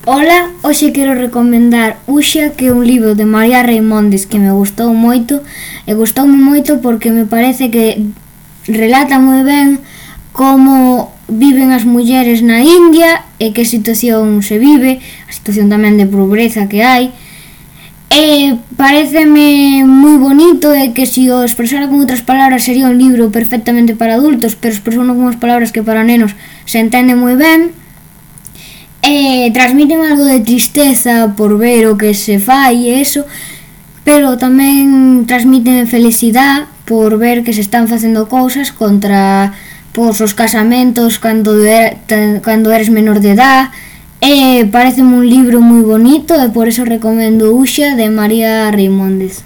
Ola, hoxe quero recomendar Uxa, que é un libro de María Reimóndez que me gustou moito, e gustoume moito porque me parece que relata moi ben como viven as mulleres na India e que situación se vive, a situación tamén de pobreza que hai. E pareceme moi bonito e que se o expresara con outras palabras sería un libro perfectamente para adultos, pero expresou con unhas palabras que para nenos se entende moi ben. E transmiten algo de tristeza por ver o que se fai e eso, pero tamén transmiten felicidade por ver que se están facendo cousas contra os casamentos cando eres menor de edad. E pareceme un libro moi bonito e por eso recomendo Uxa de María Reimóndez.